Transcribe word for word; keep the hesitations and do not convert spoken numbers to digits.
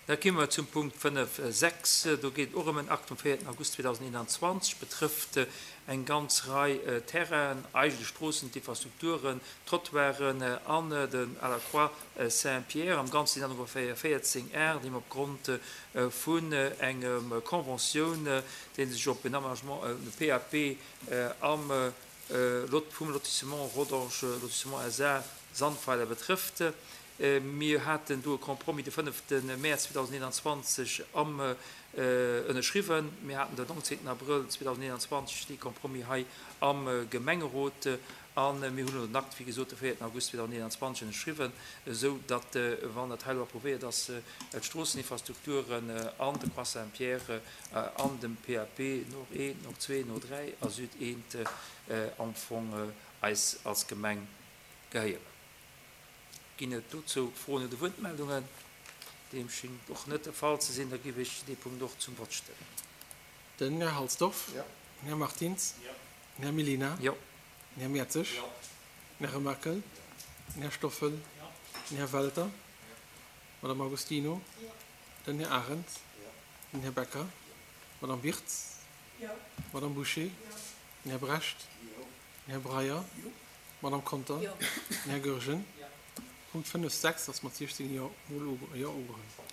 Da komme mer zum Punkt fënnef sechs. Do geet et och ëm en Akt vum véierten August zweedausendeenanzwanzeg, betrëfft eng ganz Rei Terrainen, eigentlech Stroossen, d'Infrastrukturen, d'Trottoiren an den à la Croix Saint-Pierre. Am Ganze sinn dat ongeféier véierzéng Ar, déi mer opgrond vun engem Conventioun, déi sech op en Aménagement, e P A P am Lot vum Lotissement Rodange, Lotissement S A Sandweiler betrëfft. Mir haten do e Compromis de fënnefte Mäerz zweedausendeenanzwanzeg am ënnerschriwwen. Mir haten den nonzéngten Abrëll zweedausendeenanzwanzeg dee Compromis hei am Gemengerot a mir hunn elo den Akt, wéi gesot, de véierten August zweedausendeenanzwanzeg ënnerschriwwen, esou datt, wann dat hei elo approuvéiert ass, d'Stroosseninfrastrukturen an de Croix Saint-Pierre an dem P A P Nord eent, Nord zwee, Nord dräi a Süd eent am Fong eis als Gemeng gehéieren. Ginn et dozou Froen oder Wuertmeldungen? Deem schéngt och net de Fall ze sinn. Da géif ech dee Punkt och zum Vott stellen. Den Här Halsdorf. Jo. Den Här Martins. Jo. Den Här Mellina. Jo. Den Här Mertzig. Jo. Den Här Remakel. Den Här Stoffel. Jo. Den Här Welter. Madame Agostino. Jo. Den Här Arendt. Jo. Den Här Becker. Madame Wirtz. Jo. Madame Boucher. Jo. Den Här Brecht. Jo. Den Här Breyer. Jo. Madame Conter. Jo. Den Här Goergen. Jo. Punkt fënnef, sechs ass mat siechzéng Jo mol jo ugeholl.